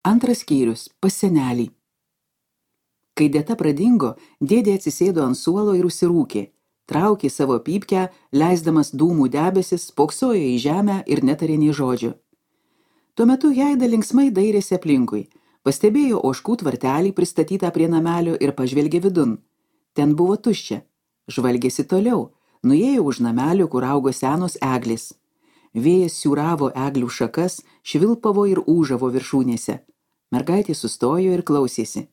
Antras skyrius – pas senelį. Kai Deta pradingo, dėdė atsisėdo ant suolo ir užsirūkė. Traukė savo pypkę, leisdamas dūmų debesis, spoksojo į žemę ir netarė nei žodžio. Tuo metu Jaida linksmai dairėsi aplinkui. Pastebėjo ožkų tvartelį pristatytą prie namelio ir pažvelgė vidun. Ten buvo tuščia. Žvalgėsi toliau. Nuėjo už namelio, kur augo senos eglės. Vėjas siūravo eglių šakas, švilpavo ir ūžavo viršūnėse. Mergaitė sustojo ir klausėsi.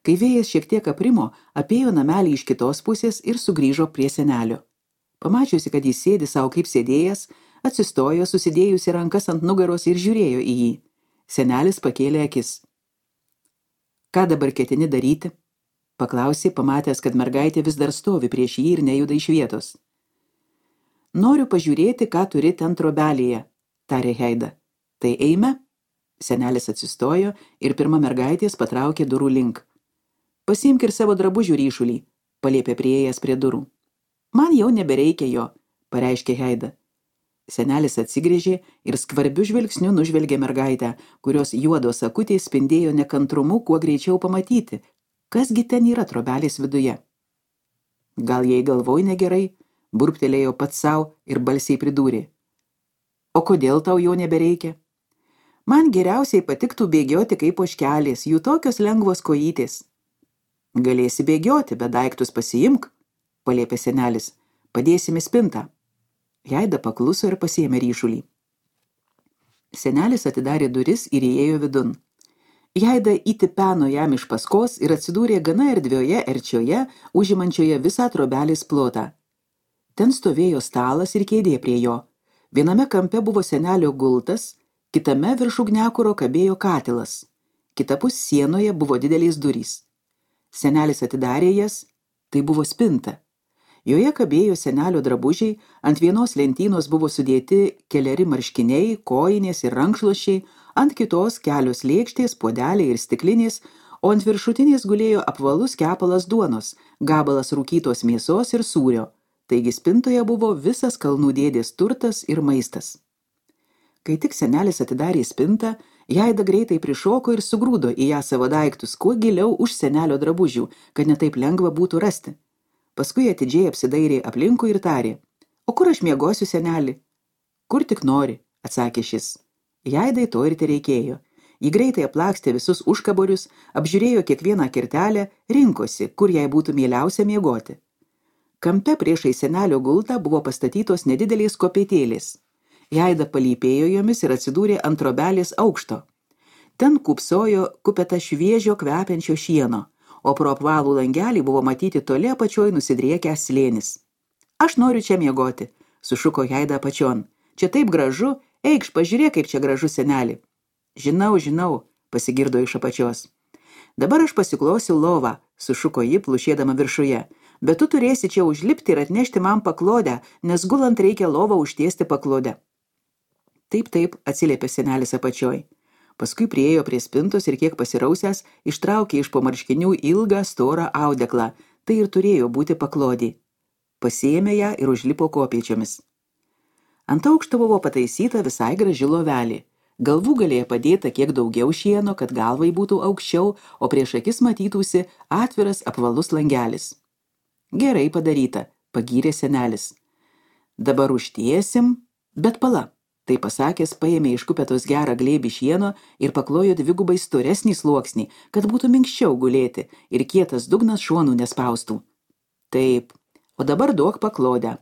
Kai vėjas šiek tiek aprimo, apėjo namelį iš kitos pusės ir sugrįžo prie senelio. Pamačiusi, kad jis sėdi savo kaip sėdėjęs, atsistojo, susidėjusi rankas ant nugaros ir žiūrėjo į jį. Senelis pakėlė akis. Ką dabar ketini daryti? Paklausė, pamatęs, kad mergaitė vis dar stovi prieš jį ir nejuda iš vietos. Noriu pažiūrėti, ką turi ten trobelėje, tarė Jaida. Tai eime? Senelis atsistojo ir pirma mergaitės patraukė durų link. Pasiimk ir savo drabužių ryšulį, paliepė priėjęs prie durų. Man jau nebereikia jo, pareiškė Jaida. Senelis atsigrėžė ir skvarbiu žvilgsniu nužvelgė mergaitę, kurios juodos akutės spindėjo nekantrumu kuo greičiau pamatyti, kasgi ten yra trobelės viduje. Gal jai galvoj negerai, burbtelėjo pats sau ir balsiai pridūrė. O kodėl tau jo nebereikia? Man geriausiai patiktų bėgioti kaip ožkelės, jų tokios lengvos kojytės. Galėsi bėgioti, bet daiktus pasiimk, paliepė senelis. Padėsime spintą. Jaida pakluso ir pasiėmė ryšulį. Senelis atidarė duris ir įėjo vidun. Jaida įtipeno jam iš paskos ir atsidūrė gana erdvioje erčioje, užimančioje visą trobelės plotą. Ten stovėjo stalas ir kėdė prie jo. Viename kampe buvo senelio gultas, kitame virš ugniakuro kabėjo katilas. Kitapus sienoje buvo didelės durys. Senelis atidarė jas, tai buvo spinta. Joje kabėjo senelio drabužiai, ant vienos lentynos buvo sudėti keleri marškiniai, kojinės ir rankšluosčiai, ant kitos kelios lėkštės, puodeliai ir stiklinės, o ant viršutinės gulėjo apvalus kepalas duonos, gabalas rūkytos mėsos ir sūrio. Taigi spintoje buvo visas kalnų dėdės turtas ir maistas. Kai tik senelis atidarė spintą, Jaida greitai prišoko ir sugrūdo į ją savo daiktus, kuo giliau už senelio drabužių, kad netaip lengva būtų rasti. Paskui atidžiai apsidairė aplinkui ir tarė, o kur aš miegosiu, seneli? Kur tik nori, atsakė šis. Jaidai to ir tereikėjo. Ji greitai aplakstė visus užkaborius, apžiūrėjo kiekvieną kirtelę, rinkosi, kur jai būtų mieliausia miegoti. Kampe priešai senelio gultą buvo pastatytos nedidelės kopėtėlės. Jaida palypėjo jomis ir atsidūrė ant trobelės aukšto. Ten kupsojo kupeta šviežio kvepiančio šieno, o pro apvalų langelį buvo matyti toli apačioj nusidriekęs slėnis. Aš noriu čia miegoti, sušuko Jaida apačion. Čia taip gražu, eikš, pažiūrėk, kaip čia gražu, seneli. Žinau, pasigirdo iš apačios. Dabar aš pasiklosiu lovą, sušuko ji, plušėdama viršuje. Bet tu turėsi čia užlipti ir atnešti man paklodę, nes gulant reikia lovą užtiesti paklodę. Taip, atsiliepė senelis apačioj. Paskui priėjo prie spintos ir kiek pasirausęs, ištraukė iš po marškinių ilgą, storą audeklą, tai ir turėjo būti paklodė. Pasiėmė ją ir užlipo kopėčiomis. Ant aukšto buvo pataisyta visai graži lovelė. Galvų galėjo padėta kiek daugiau šieno, kad galvai būtų aukščiau, o prieš akis matytųsi atviras apvalus langelis. Gerai padaryta, pagyrė senelis. Dabar užtiesim, bet pala. Tai pasakęs, paėmė iš kupetos gerą glėbį šieno ir paklojo dvigubai storesnį sluoksnį, kad būtų minkščiau gulėti ir kietas dugnas šonų nespaustų. Taip, o dabar duok paklodę.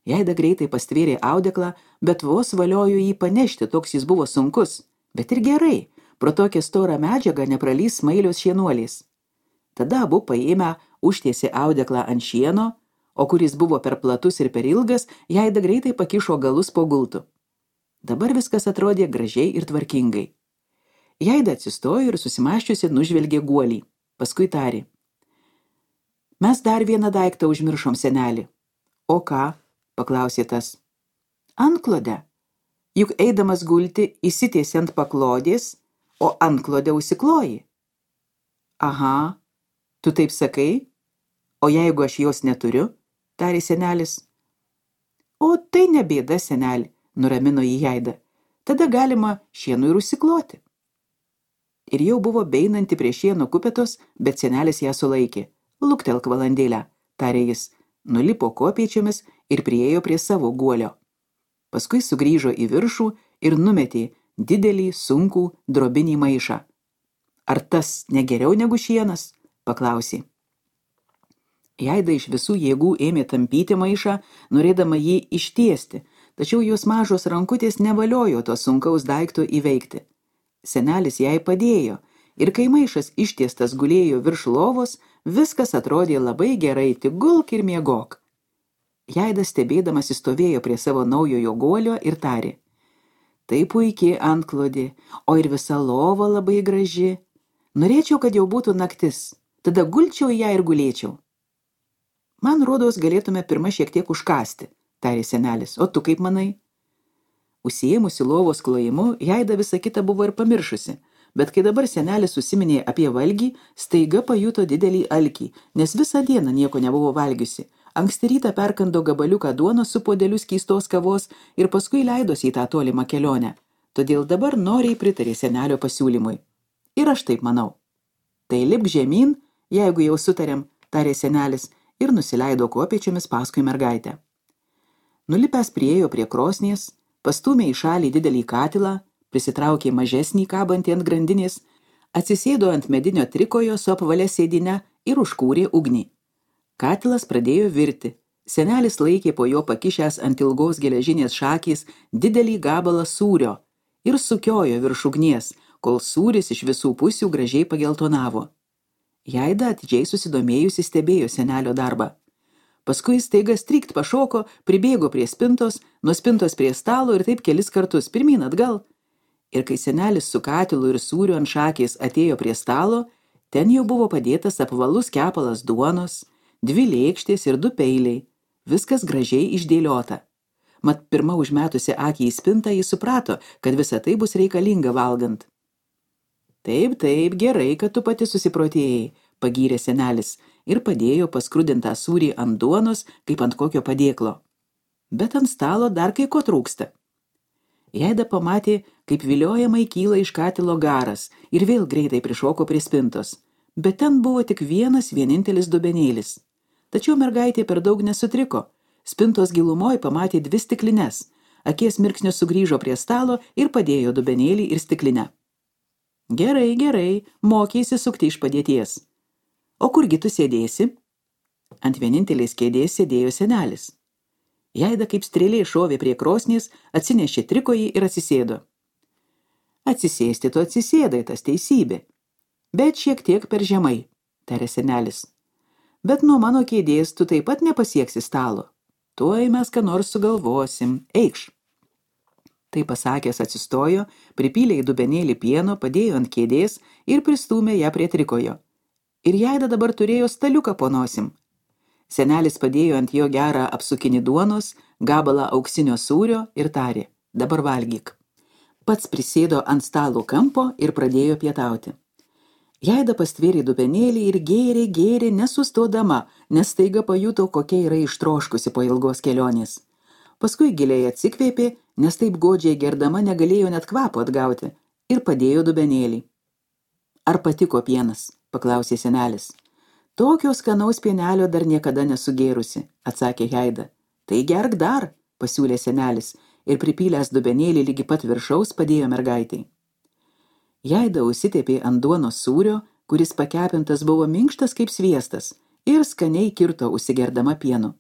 Jaida greitai pastvėrė audeklą, bet vos valiojo jį panešti, toks jis buvo sunkus. Bet ir gerai, pro tokią storą medžiagą nepralys smailios šienuolės. Tada abu paėmę užtiesė audeklą ant šieno, o kuris buvo per platus ir per ilgas, Jaida greitai pakišo galus po gultu. Dabar viskas atrodė gražiai ir tvarkingai. Jaida atsistojo ir susimąsčiusi nužvelgė guolį. Paskui tarė. Mes dar vieną daiktą užmiršom, seneli. O ką? Paklausė tas. Antklodę. Juk eidamas gulti įsitiesi ant paklodės, o antklodę užsikloji. Aha, tu taip sakai? O jeigu aš jos neturiu? Tarė senelis. O tai ne bėda, seneli. Nuramino jį Jaida. Tada galima šienu ir užsikloti. ir jau buvo beinanti prie šieno kupetos, bet senelis ją sulaikė. Luktelk valandėlę, tarė jis, nulipo kopėčiomis ir priėjo prie savo guolio. Paskui sugrįžo į viršų ir numetė didelį, sunkų drobinį maišą. Ar tas negeriau negu šienas? Paklausė. Jaida iš visų jėgų ėmė tampyti maišą, norėdama jį ištiesti, tačiau jos mažos rankutės nevaliojo to sunkaus daikto įveikti. Senelis jai padėjo, ir kai maišas ištiestas gulėjo virš lovos, viskas atrodė labai gerai, tik gulk ir miegok. Jaida stebėdamas stovėjo prie savo naujojo guolio ir tarė. Tai puikiai antklodė, o ir visa lova labai graži. Norėčiau, kad jau būtų naktis, tada gulčiau į ją ir gulėčiau. Man rodos, galėtume pirma šiek tiek užkasti, tarė senelis, o tu kaip manai? Užsiėmusi lovos klojimu, Jaida visą kitą buvo ir pamiršusi, bet kai dabar senelis užsiminė apie valgį, staiga pajuto didelį alkį, nes visą dieną nieko nebuvo valgiusi. Anksti rytą perkando gabaliuką duonos su puodeliu skystos kavos ir paskui leidosi į tą tolimą kelionę. Todėl dabar noriai pritarė senelio pasiūlymui. Ir aš taip manau. Tai lipk žemyn, jeigu jau sutarėm, tarė senelis ir nusileido kopėčiomis paskui mergaitę. Nulipęs priėjo prie krosnies, pastūmė į šalį didelį katilą, prisitraukė mažesnį kabantį ant grandinės, atsisėdo ant medinio trikojo su apvalia sėdine ir užkūrė ugnį. Katilas pradėjo virti. Senelis laikė po jo pakišęs ant ilgos geležinės šakės didelį gabalą sūrio ir sukiojo virš ugnies, kol sūris iš visų pusių gražiai pageltonavo. Jaida atidžiai susidomėjusi stebėjo senelio darbą. Paskui staiga strykt pašoko, pribėgo prie spintos, nuo spintos prie stalo ir taip kelis kartus pirmyn atgal. Ir kai senelis su katilu ir sūriu ant šakės atėjo prie stalo, ten jau buvo padėtas apvalus kepalas duonos, 2 lėkštės ir 2 peiliai. Viskas gražiai išdėliota. Mat pirma užmetusi akį į spintą, jis suprato, kad visa tai bus reikalinga valgant. Taip, gerai, kad tu pati susiprotėjai, pagyrė senelis ir padėjo paskrudintą sūrį ant duonos, kaip ant kokio padėklo. Bet ant stalo dar kai ko trūksta. Jaida pamatė, kaip viliojamai kyla iš katilo garas ir vėl greitai prišoko prie spintos. Bet ten buvo tik vienintelis dubenėlis. Tačiau mergaitė per daug nesutriko. Spintos gilumoj pamatė 2 stiklines. Akies mirksnio sugrįžo prie stalo ir padėjo dubenėlį ir stiklinę. Gerai, mokėsi sukti iš padėties. O kurgi tu sėdėsi? Ant vienintelės kėdės sėdėjo senelis. Jaida kaip strėlė šovė prie krosnies, atsinešė trikojį ir atsisėdo. Atsisėsti tu atsisėdai, tas teisybė. Bet šiek tiek per žemai, tarė senelis. Bet nuo mano kėdės tu taip pat nepasieksi stalo. Tuoj mes ką nors sugalvosim. Eikš. Tai pasakęs atsistojo, pripylė į dubenėlį pieno, padėjo ant kėdės ir pristūmė ją prie trikojo. Ir Jaida dabar turėjo staliuką po nosim. Senelis padėjo ant jo gerą apsukinį duonos, gabalą auksinio sūrio ir tarė, dabar valgyk. Pats prisėdo ant stalo kampo ir pradėjo pietauti. Jaida pastvėrė dubenėlį ir gėrė nesustodama, nes staiga pajuto, kokia yra ištroškusi po ilgos kelionės. Paskui giliai atsikvėpė, nes taip godžiai gerdama negalėjo net kvapo atgauti, ir padėjo dubenėlį. Ar patiko pienas? Paklausė senelis. Tokio skanaus pienelio dar niekada nesugėrusi, atsakė Jaida. Tai gerk dar, pasiūlė senelis, ir pripylęs dubenėlį lygi pat viršaus padėjo mergaitai. Jaida užsitepė ant duonos sūrio, kuris pakepintas buvo minkštas kaip sviestas, ir skaniai kirto užsigerdama pienu.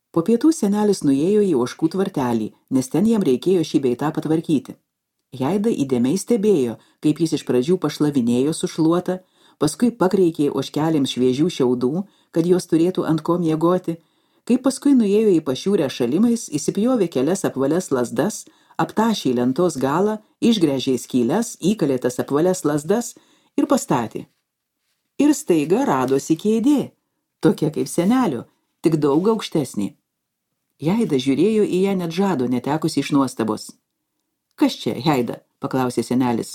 Po pietų senelis nuėjo į ožkų tvartelį, nes ten jam reikėjo šį bei tą patvarkyti. Jaida įdėmiai stebėjo, kaip jis iš pradžių pašlavinėjo su šluota, paskui pakreikė ožkelėms šviežių šiaudų, kad jos turėtų ant ko miegoti, kaip paskui nuėjo į pašiūrę šalimais, įsipjovė kelias apvalias lazdas, aptašė lentos galą, išgręžė skyles, įkalė tas apvalias lazdas ir pastatė. Ir staiga radosi kėdė, tokia kaip senelio, tik daug aukštesnė. Jaida žiūrėjo į ją net žado, netekusi iš nuostabos. Kas čia, Jaida? Paklausė senelis.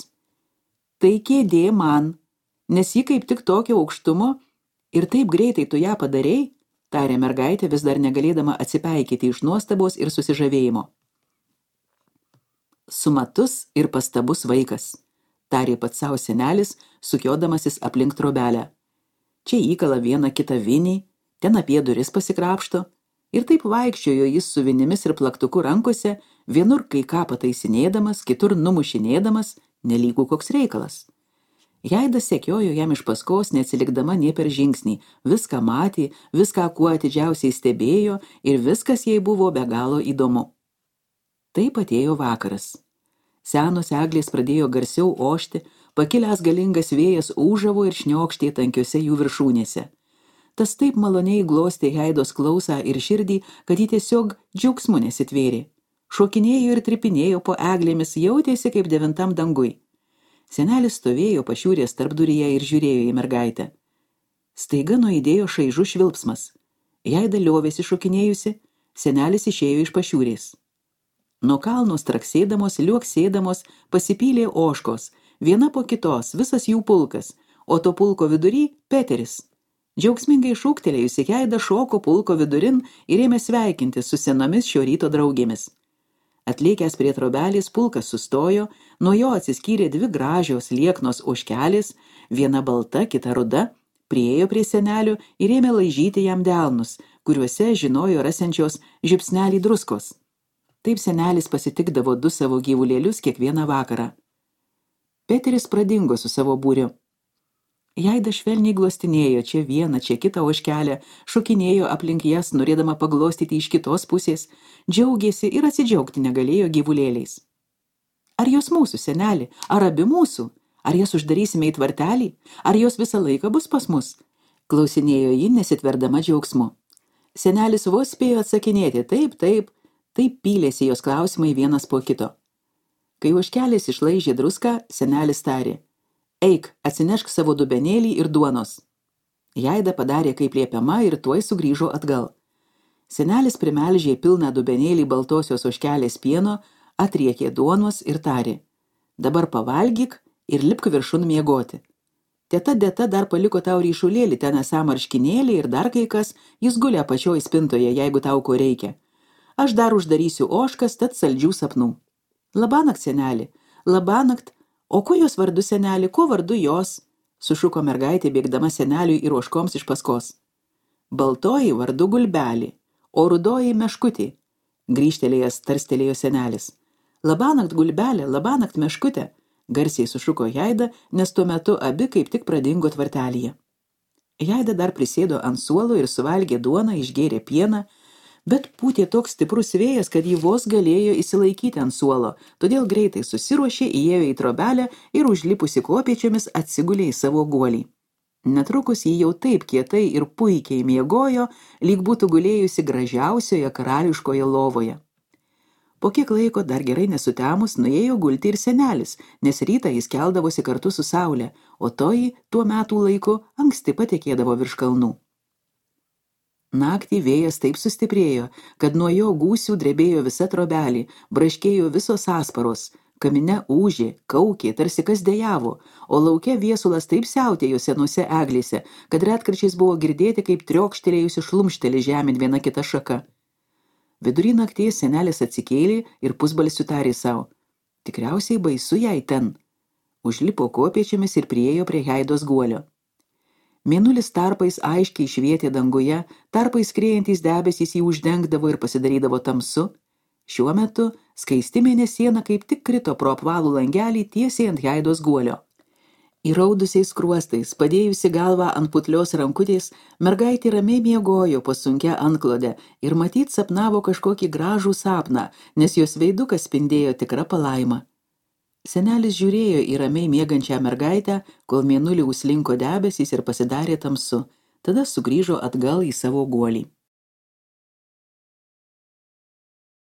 Tai kėdė man, nes ji kaip tik tokio aukštumo ir taip greitai tu ją padarei, tarė mergaitė, vis dar negalėdama atsipeikyti iš nuostabos ir susižavėjimo. Sumatus ir pastabus vaikas. tarė pats savo senelis, sukiodamasis aplink trobelę. Čia įkala vieną kitą vinį, ten apie duris pasikrapšto, ir taip vaikščiojo jis su vinimis ir plaktuku rankose, vienur kai ką pataisinėdamas, kitur numušinėdamas, nelygų koks reikalas. Jaida sekiojo jam iš paskos, neatsilikdama nė per žingsnį, viską matė, viską kuo atidžiausiai stebėjo ir viskas jai buvo be galo įdomu. Taip atėjo vakaras. Senos eglės pradėjo garsiau ošti, pakilęs galingas vėjas ūžavo ir šniokštė tankiose jų viršūnėse. Tas taip maloniai glostė Jaidos klausą ir širdį, kad ji tiesiog džiaugsmu nesitvėrė. Šokinėjo ir tripinėjo po eglėmis, jautėsi kaip 9 dangui. Senelis stovėjo pašiūrės tarpduryje ir žiūrėjo į mergaitę. Staiga nuaidėjo šaižus švilpsmas. Jaida liovėsi šokinėjusi, senelis išėjo iš pašiūrės. Nuo kalno straksėdamos, liuoksėdamos pasipylė ožkos, viena po kitos, visas jų pulkas, o to pulko vidury Peteris. Džiaugsmingai šūktelėjusi Jaida šoko pulko vidurin ir ėmė sveikinti su senomis šio ryto draugėmis. Atlėkęs prie trobelės, pulkas sustojo, nuo jo atsiskyrė 2 gražios lieknos ožkelės, viena balta, kita ruda, priėjo prie senelio ir ėmė laižyti jam delnus, kuriuose žinojo rasiančios žiupsnelį druskos. Taip senelis pasitikdavo 2 savo gyvulėlius kiekvieną vakarą. Peteris pradingo su savo būriu. Jaida švelniai glostinėjo čia vieną, čia kitą ožkelę, šokinėjo aplink jas, norėdama paglostyti iš kitos pusės, džiaugėsi ir atsidžiaugti negalėjo gyvulėliais. Ar jos mūsų, seneli, ar abi mūsų? Ar jas uždarysime į tvartelį? Ar jos visą laiką bus pas mus? Klausinėjo ji, nesitverdama džiaugsmu. Senelis vos spėjo atsakinėti, taip pylėsi jos klausimai vienas po kito. Kai ožkelės išlaižė druską, senelis tarė: Eik, atsinešk savo dubenėlį ir duonos. Jaida padarė kaip liepiama ir tuoj sugrįžo atgal. Senelis primelžė pilną dubenėlį baltosios ožkelės pieno, atriekė duonos ir tarė: Dabar pavalgyk ir lipk viršun miegoti. Teta Deta dar paliko tau ryšulėlį, ten esą marškinėlį ir dar kai kas, jis guli apačioj spintoje, jeigu tau ko reikia. Aš dar uždarysiu ožkas, tad saldžių sapnų. Labanakt, seneli, labanakt. O kuo jos vardu, seneli, kuo vardu jos? Sušuko mergaitė, bėgdama seneliui ir ožkoms iš paskos. Baltoji vardu Gulbelį, o rudoji Meškutė. Grįžtelėjęs tarstelėjo senelis. Labanakt, Gulbelė, labanakt, Meškutė. Garsiai sušuko Jaida, nes tuo metu abi kaip tik pradingo tvartelyje. Jaida dar prisėdo ant suolo ir suvalgė duoną, išgėrė pieną, bet pūtė toks stiprus vėjas, kad ji vos galėjo įsilaikyti ant suolo, todėl greitai susiruošė, įėjo į trobelę ir užlipusi kopėčiomis atsigulė į savo guolį. Netrukus ji jau taip kietai ir puikiai miegojo, lyg būtų gulėjusi gražiausioje karališkoje lovoje. Po kiek laiko dar gerai nesutemus nuėjo gulti ir senelis, nes rytą jis keldavosi kartu su saule, o toji tuo metų laiku anksti patekėdavo virš kalnų. Naktį vėjas taip sustiprėjo, kad nuo jo gūsių drebėjo visa trobelė, braškėjo visos asparos, kamine ūžė, kaukė, tarsi kas dejavo, o lauke viesulas taip siautėjo senose eglėse, kad retkarčiais buvo girdėti, kaip triokštelėjusi šlumštelė žemėn viena kita šaka. Vidury nakties senelis atsikėlė ir pusbalsiu tarė savo: Tikriausiai baisu jai ten. Užlipo kopėčiomis ir priėjo prie Jaidos guolio. Mėnulis tarpais aiškiai švietė danguje, tarpais skriejantys debesys jį uždengdavo ir pasidarydavo tamsu. Šiuo metu skaisti mėnesiena kaip tik krito pro apvalų langelį tiesiai ant Jaidos guolio. Įraudusiais skruostais, padėjusi galvą ant putlios rankutės, mergaitė ramiai miegojo po sunkia antklodę ir matyt sapnavo kažkokį gražų sapną, nes jos veidukas spindėjo tikra palaima. Senelis žiūrėjo į ramiai miegančią mergaitę, kol mėnulį užslinko debesys ir pasidarė tamsu, tada sugrįžo atgal į savo guolį.